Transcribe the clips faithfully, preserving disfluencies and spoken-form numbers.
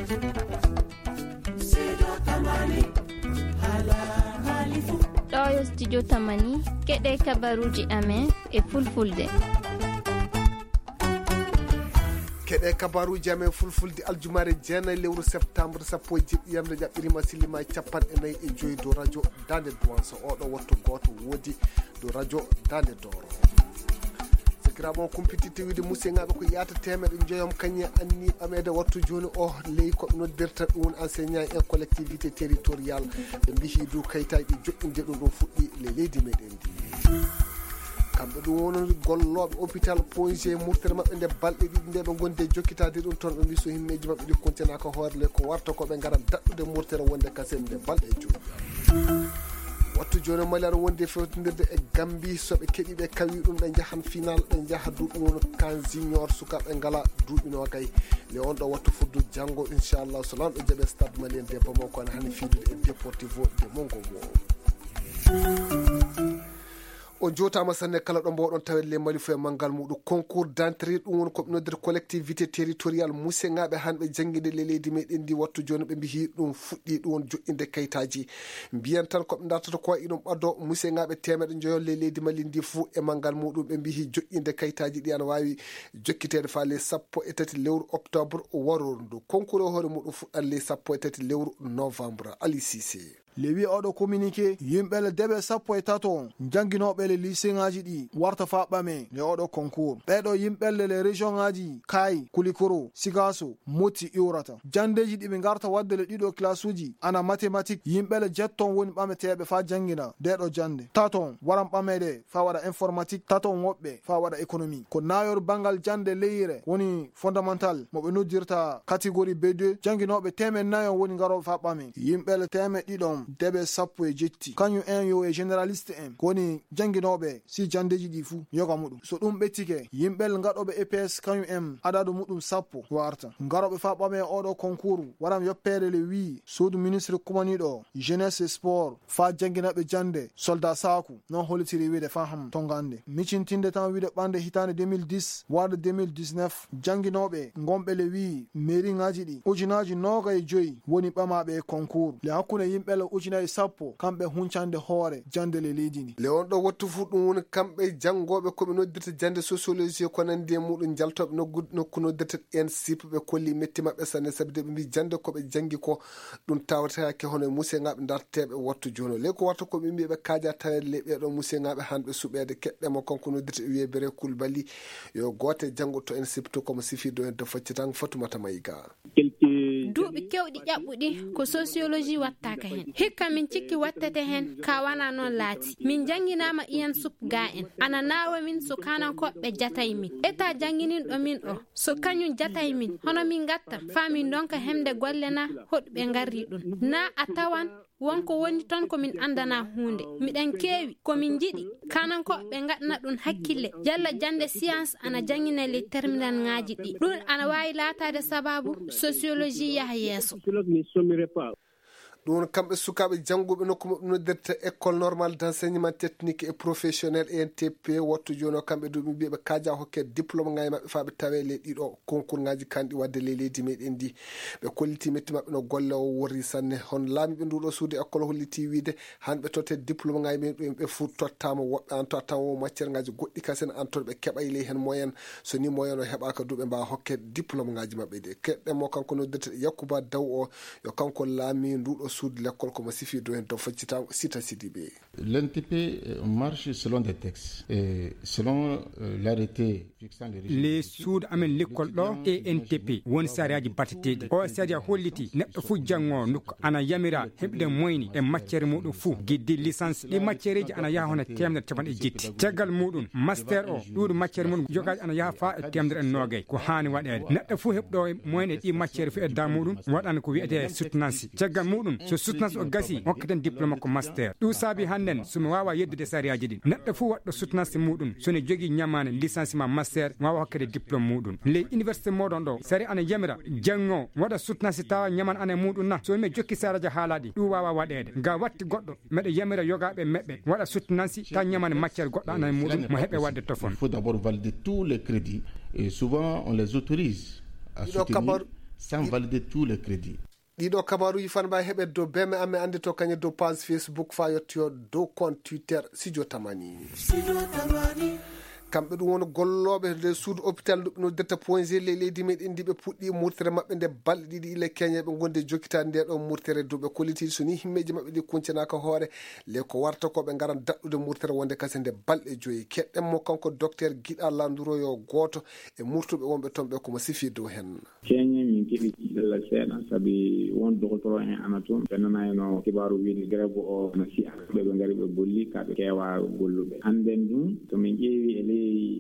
Ɗo yo studio Tamani, keɗe kabaruuji amen e fulfulde. Keɗe kabaruuji amen fulfulde aljumaare jeenayi lewru septembre sappo e jeɗɗi yamre ƴaɓɓirima silima e capanɗe nayi e joyi dow radio Dande Duwanso. Oɗo wattu gooto woodi dow radio Dande Doro. Sikiraaɓe on kumpititte wiide musiyaŋaaɓe ko yaata teemeɗe njoyom kañum anni ɓameede wattu jooni o ley ko ɓe noddirta ɗum woni enseignant en collectivité territorial. Ɓe mbihi du kayitaaji ɗi joɗɗinde ɗum ɗum fuɗɗi ley leydi meɗen ndi. Kamɓe ɗum woni gollooɓe hôpital Ponge murtere maɓɓe nde balɗe ɗiɗi nde ɓe ngondi e jokkitaade ɗum toon ɓe mbi so himmeeji maɓɓe ɗi kontinaka hoore le ko warta ko ɓe ngara daɗɗude murtere wonde kasen nde balɗe joyi. Wattu jooni o mali aɗa wondi e fewtindirde e Gambi so ɓe keɗi ɓe kawi ɗum ɓe njahan final ɓe njaha duuɓi noon kan junior sukaaɓe ngala duuɓi noogay le on ɗo wattu fuddu janngo inchallah so lanɗo jaɓe stade malien de bamako ana hani fiidude e déportivo de mongo mo. O jootaama sanne kala ɗo mboɗon tawede le mali fo e manngal muɗum concours d'entrée ɗum woni ko ɓe noddirta collectivité territorial museŋaaɓe hanɓe jannginde le leydi meɗen ndi wattu jooni ɓe mbihi ɗum fuɗɗi ɗum woni joɗɗinde kayitaaji mbiyan tan ko ɓe dartata ko iɗum ɓaddo museŋaaɓe teemeɗe njoyon le leydi mali ndi fo e manngal muɗum ɓe mbihi joɗɗinde kayitaaji ɗi ana waawi jokkiteede faa le sappo e tati lewru octobre waroru ndu concours e hoore muɗum fuɗɗan le sappo e tati lewru novembre ali sise. Le wiye oɗo communiqué yimɓe le debe sappo e tato on jannginooɓe le liseŋaaji ɗi warta faa ɓame le oɗo concours ɓeɗo yimɓe le le région ŋaaji kaayi kulikoro sigaaso motti iwrata janndeeji ɗi ɓe ngarta waɗde le ɗiɗo classe uji ana mathématique yimɓe le jetton woni ɓameteeɓe faa janngina deɗo jannde taton waran ɓameede faa waɗa informatique taton woɓɓe faa waɗa économie ko naayor banngal jannde leyre woni fondamental mo ɓe noddirta catégorie b deux jannginooɓe teemen nayo woni ngarooɓe faa ɓame yimɓe le teemen ɗiɗon deɓe sappo e jetti kañum en yo e généraliste en woni jannginooɓe si janndeeji ɗi fuu yoga muɗum so ɗum ɓettike yimɓe le ngaɗooɓe eps kañum en adadu muɗum sappo warta ngarooɓe faa ɓame oɗo concours waran yoppeede le wii suudu ministre kumaniiɗo jeunesse e sport faa jannginaɓe jannde soldat saaku non hollitiri wiide faham tongande micintinde tan wiide ɓande hitaande deux mille dix warde deux mille dix-neuf jannginooɓe ngonɓe le wii mairie ŋaaji ɗi ujunaaji nooga e joyi woni ɓamaaɓe e concours le hakkunde yimɓe le ujunaaji sappo kamɓe huncande hoore jannde le leydi ndi le on ɗo wattu fuu ɗum woni kamɓe janngooɓe ko ɓe noddirta jannde sociologie ko nanndi e muɗum njaltooɓe nokku noddirta en sip ɓe kolli metti maɓɓe sanne sabi de ɓe mbi jannde ko ɓe janngi ko ɗum tawataake hono e museŋaaɓe darteeɓe wattu jooni o ley ko warta ko ɓe mbiya ɓe kaaja taweede ley ɓeeɗo museŋaaɓe hanɓe suɓeede keɗɗe mo kanko noddirta e wiyee bere kulbali yo goote janngo to en sipto komo sifiido en to faccitango fatumata mayiga duuɓi kewɗi ƴaɓɓuɗi ko sociologie wattaka heen hikka min cikki wattete heen ka wana noon laati min jannginaama iyan sup ga en ana naawa min so kanankoɓe jatay min eta janngininɗo min o so kañum jatay min hono min ngatta faa min ndonka hemde golle na hoɗɓe ngarri ɗum na a tawan wonko woni toon ko min anndana huunde miɗen keewi ko min njiɗi kanankoɓe ngaɗna ɗum hakkille yalla jannde science ana janngina ley terminal ŋaaji ɗi ɗum ana waawi laataade sababu sociologie yaha yeeso ɗum woni kamɓe sukaaɓe jannguɓe nokku maɓɓe noddirta école normale d' enseignement technique et professionnel E N T P wattu jooni o kamɓe duuɓi mbiyaɓe kaaja hokke diplôme ŋaaji maɓɓe faa ɓe tawe ley ɗiɗo concours ŋaaji kanɗi waɗde ley leydi meɗen ndi ɓe kolliti metti maɓɓe no golle o worri sanne hono laamiiɓe nduɗo suudu école holliti wiide han ɓe totte diplôme ŋaaji men ɗum ɓe fuu tottama woɓɓe an tottama wo matière ŋaaji goɗɗi kasen an toon ɓe keɓay ley heen moyen so ni moyen o heɓaka duuɓe mbawa hokke diplôme ŋaaji maɓɓe ɗi keɗɗen mo kanko noddirte Yakuba Daw o yo kanko laami nduɗo suudu lekkol komo sifi dow heen to faccitango sita sidiɓe. L'N T P marche selon des textes et selon l'arrêté. Le suudu amen lekkol ɗo E N T P woni sariyaji batteteɗi o sariya holliti neɗɗo fuu janngo nokku ana yamira heɓde moyni e matière muɗum fuu giddi licence ɗi matièreji ana yaha hono temedere capanɗe jetti caggal muɗum master o ɗuuɗu matière muɗum jogaji ana yaha faa e temedere e noogay ko haani waɗeede neɗɗo fuu heɓɗo moyni e ɗi matière fuu e da muɗum waɗana ko wiyete soutenance caggal muɗum so soutenance o gasi hokkaten diplôme ko master ɗum saabi hannden somi wawa yeddude sariyaji ɗin neɗɗo fuu waɗɗo soutenance muɗum sone jogii ñamaane licence ma master wawa hokkede diplôme muɗum ley université moɗon ɗo sari ana yamira janngo waɗa soutenance tawa ñaman ana e muɗum na so mi jokki saraja haalaɗi ɗum wawa waɗede nga watti goɗɗo meɗa yamira yogaɓe meɓɓe waɗa soutenance ta ñaman matière goɗɗo ana e muɗum mo heɓe wadde tofon. Il faut d'abord valider tous les crédits et souvent on les autorise à soutenir. Sans valider tous les crédits. Ɗiɗo kabaruji fan mbawi heɓe dow beme amen ande to kañe dow page Facebook fa yettoyo dow compte Twitter Studio Tamani. Kamɓe ɗum woni gollooɓe nder suudu hôpital ndu ɓe noddirta point G ley leydi meɗen ndi ɓe puɗɗi murtere maɓɓe nde balɗe ɗiɗi ila keñe ɓe gonde jokkitaade nde ɗo murtere dow ɓe kolliti so ni himmeeji maɓɓe ɗi kuncanaaka hoore le ko warta ko ɓe ngaran daɗɗude murtere wonde kase nde balɗe joyi. Keɗɗen mo kanko docteur Giɗa Landuroyo gooto e murtuɓe wonɓe toon ɓe ko mo sifi dow hen. Keñe min keɓi tiiɗalla seeɗa sabi won dogotoro en ana toon ɓe nanayno kibaaru wiide grève o no siya ɓe ɓe ngari ɓe golli ka ɓe keewa golluɓe. Annden ɗum to min ƴeewi e ley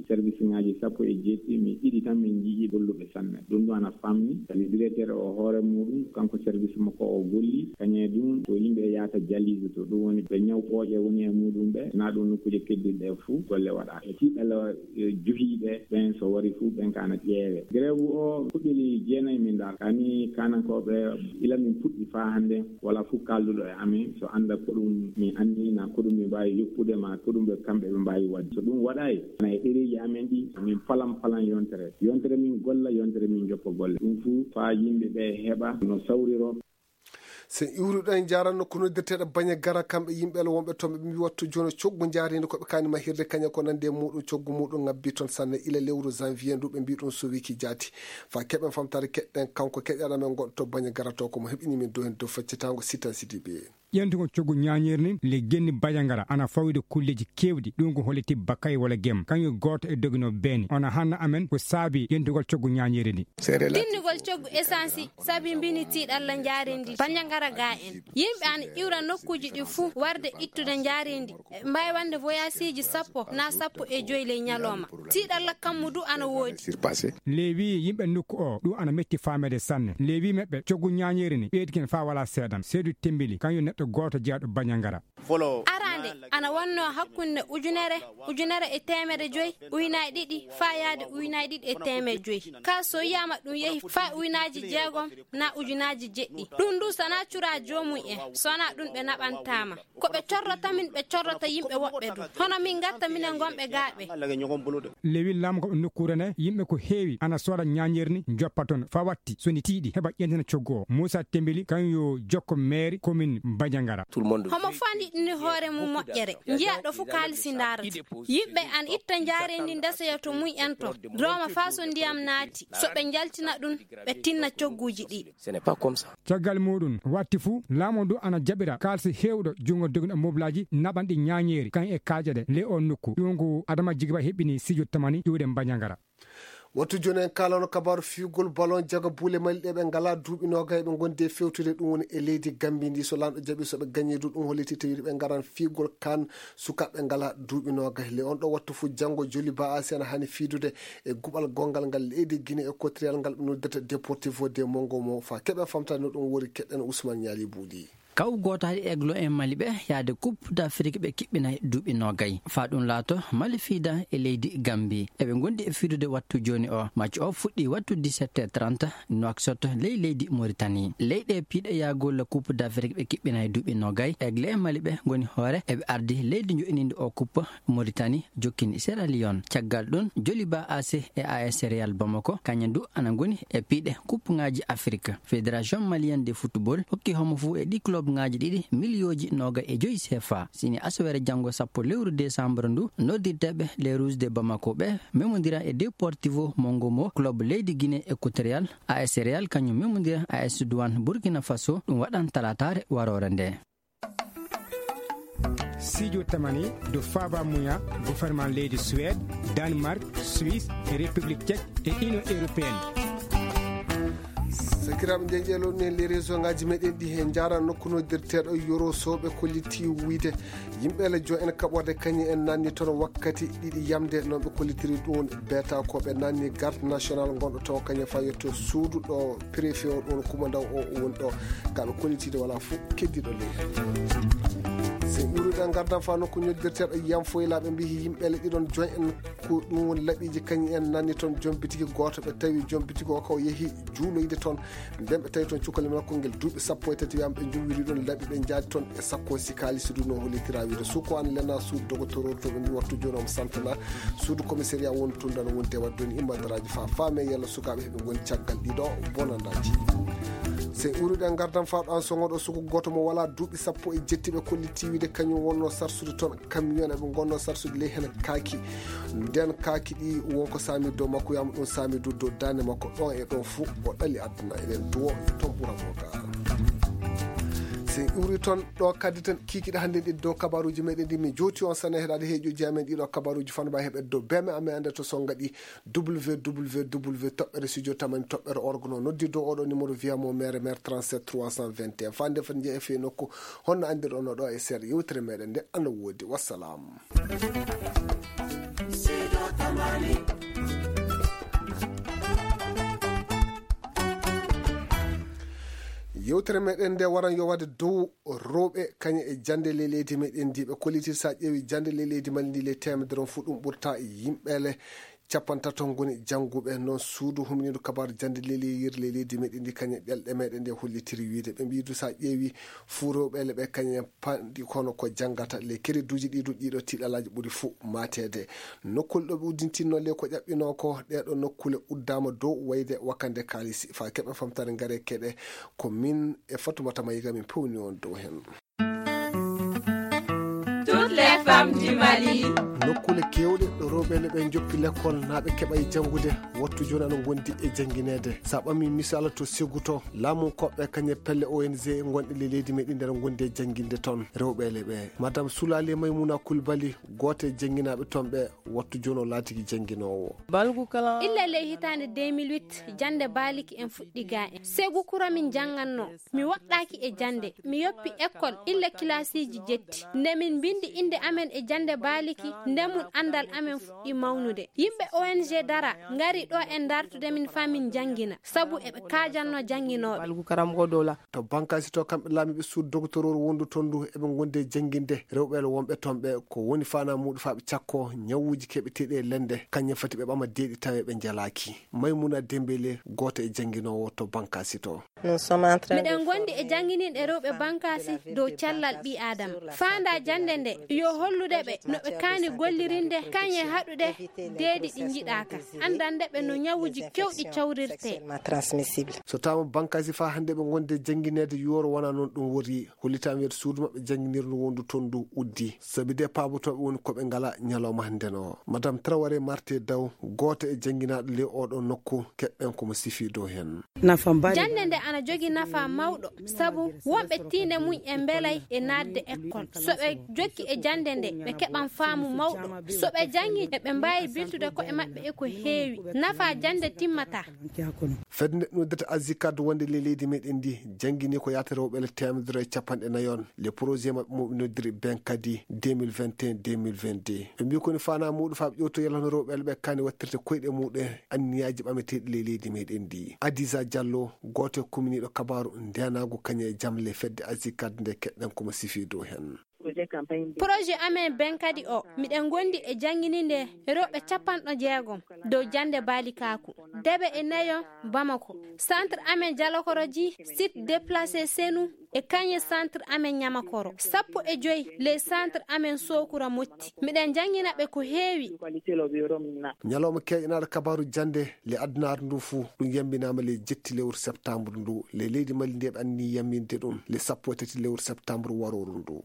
service ngaji sappo e jeeɗiɗi min ɗiɗi tan min njii golluɓe sanne. Ɗum ɗum ana famni sabi directeur o hoore muɗum kanko service makko o golli kañe ɗum to yimɓe yahata jalise to ɗum woni ɓe ñaw ɓooƴe woni e muɗum ɓe na ɗum nokkuuje keddiɗe ɗe fuu golle waɗa e tiiɗalla. Johiiɓe ɓen so wari fuu ɓen ka ana ƴeewe. Grève o fuɗɗiri jeenayi min ndaar kani kanankooɓe ila min puɗɗi faa hannde wala fuu kalduɗo e amin so annda ko ɗum min anni na ko ɗum min mbaawi yoppude ma ko ɗum ɓe kamɓe ɓe mbaawi waɗde so ɗum waɗayi ana e ɗereeji amen ɗi min palan palan yontere yontere min golla yontere min joppa golle ɗum fuu faa yimɓe ɓe heɓa no sawriro. Sen iwruɗo en jaranno ko noddirteɗo bañe gara kamɓe yimɓe la wonɓe toon ɓe mbi wattu jono coggu njaarindi koɓe kani mahirde kañe ko nande e muɗum coggu muɗum ngabbi toon sanne ila lewru janvier ndu ɓe mbi ɗum sowiki jaati. Fa keɓen famtare keɗɗen kanko keƴaɗa men goɗɗo to bañe gara to ko mo heɓini min dohen dow faccitango sitan sidibe. Ƴentugol coggu ñaañeeri ndin le genni bajangara ana fawide kulleeji keewɗi ɗum ko holliti bakay wala gem kañum gooto e doginooɓe beeni ona hanna amen ko saabi ƴentugol coggu ñaañeeri ndi. Tinnugol coggu esansi sabi mbini tiiɗalla njaarindi bajangara ga en yimɓe ana iwra nokkuuji ɗi fuu warde ittude njaarindi mbawi wonde voyageeji sappo na sappo e joyi ley ñalawma. Tiiɗalla kammu du ana woodi. Lewi yimɓe nokku o ɗum ana metti faamede sanne lewi meɓɓe coggu ñaañeeri ni ɓeydi ken faa wala seedan seedu tembili kañum neɗɗo gooto jeyaaɗo bañangara. Arande ana wonno hakkunde ujunere ujunere e teemedde joyi uynaaji ɗiɗi faa yaade uynaaji ɗiɗi e teemedde joyi ka so yiyama ɗum yehi faa uynaaji jeegom na ujunaji jeɗɗi ɗum ndu sana cura joomum en sona ɗum ɓe naɓantama. Ko ɓe corrata min ɓe corrata yimɓe woɓɓe du hono min gatta minen gonɓe gaaɓe. Lewi lamgo nokkuure nde yimɓe ko heewi ana sooda ñaañeeri ni joppa toon fa watti so ni tiiɗi heɓa ƴentina coggu o muusa tembili kañum yo jokko meeri komin bajangara. Homo fandi ɗini hoore mum moƴƴere njiya ɗo fof kaalisi ndaarata yimɓe ana itta njaareendi ndeseya to mum en to dooma faa so ndiyam naati so ɓe njaltina ɗum ɓe tinna cogguuji ɗi. Caggal muɗum watti fuu laamu ndu ana jaɓira kaalisi heewɗo junngo dogino moblaaji naɓanɗi ñaañeeri kan e kaaƴe ɗe le o nokku ɗum ko adama jigiba heɓɓini sijo tamani iwde mbañagara. Wattu jooni en kaalano kabaaru fiyugol ballon jaga buule mali ɗe ɓe ngala duuɓi noogay ɓe ngondi e fewtude ɗum woni e leydi gambi ndi so lanɗo jaɓi so ɓe gañi du ɗum holliti tawi ɓe ngaran fiyugol kan sukaaɓe ngala duuɓi noogay le on ɗo wattu fof janngo joli ba asi ana hani fiidude e guɓal gonngal ngal leydi guinée équatorial ngal ɓe noddata deportivo de mongo mo fa keɓe famtani no ɗum wori keɗɗen ousmane ñaali buuɗi. Kaw gooto hade eglo en mali ɓe yaade coupe d'afrique ɓe kiɓɓinay duuɓi noogay fa ɗum laato mali fiida e leydi gambi eɓe gondi e fiidude wattu jooni o match o fuɗɗi wattu dix-sept heures trente noaksot ley leydi moritani leyɗe piiɗe yaagolla coupe d'afrique ɓe kiɓɓinay duuɓi noogay egle en mali ɓe ngoni hoore eɓe ardi leydi joɗininde o coupe moritani jokkini sierra leone caggal ɗum joliba ac e as real bamako kañum du ana ngoni e piiɗe coupe ngaji afrique. Fédération malienne de football hokki homo fuu e ɗi club ngaji ɗiɗi miliyooji noga e joyi cfa sini asawere janngo sappo lewru décembre ndu noddirteɓe les rouges de bamako ɓe memodira e deportivo mongo mo club leydi guinée équatorial as real kañum memodira as douane burkina faso ɗum waɗan talatare warore nde. Sijo tamani do faba muya gouvernement leydi suède danemark suisse e république tchèque e union européenne. Sakiraaɓe nde ƴeelon en les réseau ngaji meɗen ɗi he jara nokku noddirteɗo yoro soɓe kolliti wuyde yimɓe le jo en kaɓorde kañi en nanni toon wakkati ɗiɗi yamde noon ɓe kollitiri ɗum beta ko ɓe nanni garde national gonɗo to kañe fa yetto suudu ɗo préfet o ɗum kumandaw o woni ɗo kaɓe kollitide wala fof keddiɗo ley. Sen ɓuruɗen gardan fa nokku noddirteɗo yam foylaɓe mbihi yimɓe le ɗiɗon join en ko ɗum woni laɓiji kañi en nanni toon jombitigi goto ɓe tawi jombitigi o kaw yeehi juuloyde toon. Nden ɓe tawi toon cukalel makko ngel duuɓi sappo e tati, wiyaama ɓe njuwiri ɗon laɓi, ɓe njaadi toon e sakkoosi kaalisi du no hollitira wiide suko an lena suudu dogotororu to ɓe mbi wattu jooni omo santana suudu commissariat wondu toon dano wonde wadde on immadaraaji fa faame yalla sukaaɓe heɓe ngoni caggal ɗiɗo bonandaaji. Sey uruɗen ngardan faa ɗo an sogoɗo suko gooto mo walaa duuɓi sappo e jetti ɓe kolliti wiide kañum wonno sarsude toon camion eɓe ngonno sarsude ley heen kaaki. Nden kaaki ɗi wonko saami dow makko, wiyaama ɗum saami du dow daande makko, ɗon e ɗon fuu o ɗali aduna. Eɗen duwo toon ɓura mo ga. Si en iwri toon ɗo kadi tan kiikiɗe hannde ɗi dow kabaruuji meɗen ɗi, min jooti on sana heɗaade heeƴuji amen ɗiɗo kabaruuji fanba heɓe dow beme amen annde to songa ɗi. W W W toɓɓere studio tamani toɓɓere org no noddi dow oɗo numéro via mo mere mere trente-sept trois cent vingt et un. Fande fande jeeya fe nokku honno andirɗon no ɗo e seeɗa yewtere meɗen nde ana woodi. Wassalam. Yewtere meɗen nde waran yo waɗe dow rewɓe kañe e jannde ley leydi meɗen ndi. Ɓe kollitir sa ƴeewi jannde ley leydi mali ndi ley temedere on fuu ɗum ɓurta yimɓeele capantato ngoni jannguɓe. Noon suudu humniidu kabaru jannde leleyir ley leydi meɗen ndi kañe ɗelɗe meɗen nde hollitiri wiide ɓe mbiidu sa ƴeewi fuu rewɓe ele ɓe kañe panɗi kono ko janngata ley kereduuji ɗiɗo ɗiɗo tiɗalaaji ɓuri fuu mateede. Nokkule ɗo ɓe uddintinno ley ko ƴaɓɓinoo ko ɗeɗo nokkule uddaama dow wayde wakkande kaalisi fa keɓe famtare ngare keɗe ko min e fatumata mayiga min pewni on dow heen. Toutes les femmes du Mali. Nokkule kewɗe ɗo rewɓe ne ɓe joppi lekkol na ɓe keɓa e janngude wattu jooni ana ngondi e janngineede. Sa ɓami misala to segu to laamu koɓɓe kañe pelle O N G gonɗe ley leydi meɗen nder gondi e jannginde toon rewɓe ele ɓe. Madame Soulale Maimouna Koulibaly gooto e jannginaaɓe toon ɓe wattu jooni o laatiki jannginoowo. Illa ley hitaande deux mille huit jannde baaliki en fuɗɗi ga en segu kura min jannganno. Mi woɗɗaaki e jannde. Mi yoppi ekkol illa kilaasiiji jetti. Nde min mbinndi innde amen e jannde baaliki, nde mum anndal amen fuɗɗi mawnude. Yimɓe O N G dara, ngari ɗo en dartude min faa min njanngina, sabu eɓe kaajanno jannginooɓe. To Bankaasi to, kamɓe laamiiɓe suudu dogotororu wondu toon ndu, eɓe ngondi e jannginde rewɓe wonɓe toon ɓe, ko woni faanaa muuɗum faa ɓe cakkoo ñawuuji keɓeteeɗi e lende, kañum fati ɓe ɓama deeɗi tawe ɓe njalaaki. Maymuna Dembele, gooto e jannginoowo to Bankaasi to. Miɗen ngondi e janngininde rewɓe Bankaasi dow cellal ɓii Aadama. Faandaa jannde nde, yo hollude ɓe no ɓe kaani gollirinde kañe haɗude deeɗi ɗi njiɗaaka, anndande ɓe no ñawuuji kewɗi cawrirtee. So taama Bankaasi faa hannde ɓe ngondi e janngineede yooro wonaa noon ɗum woni, hollitaama wiyeede suudu maɓɓe jannginirndu wondu toon ndu uddi, sabi de paabotooɓe woni ko ɓe ngalaa ñalawma hannde no. Madame Traoré Marté Daw, gooto e jannginaaɗo ley oɗo nokku, keɓɓen ko mo sifii dow heen. Jannde nde ana jogi nafa mawɗo, sabu wonɓe tiinde mum en mbelay e naatde ekkol. So ɓe jokki e jannde nde, ɓe keɓan faamu mawɗo. So ɓe janngi, eɓe mbaawi biltude ko'e maɓɓe e ko heewi. Nafa jannde timmataa. Fedde nde noddata Azikad wonde ley leydi meɗen ndi, janngini ko yaata rewɓe le teemedere e capanɗe nayi on. Le projet maɓɓe mo ɓe noddiri ben kadi deux mille vingt et un deux mille vingt-deux. Ɓe mbii ko ni faanaa muuɗum faa ɓe ƴewto yalla no rewɓe le ɓe kaani wattirde koyɗe muuɗe anniyaaji ɓameteeɗi ley leydi meɗen ndi. Adisa Diallo, gooto e kuminiiɗo kabaaru ndeenaagu kañum e jam le fedde Azikad nde keɗɗen ko mo sifii dow heen. Projet amen ben kadi o, miɗen ngondi e janngininde rewɓe capanɗo jeegom dow jannde baalikaaku. Debe e nayo Bamako. Centre amen Jalakoroji, site déplacé Senu e kañe centre amen Ñamakoro. Sappo e joy les centre amen Sokura Motti. Miɗen janngina ɓe ko heewi. Ñalawma keeƴanaaɗo kabaaru jannde le addunaare ndu fuu, ɗum yambinaama le jetti lewru septembre ndu. Le leydi Mali ndi eɓe anni yamminde ɗum le sappo e tati lewru septembre warooru ndu.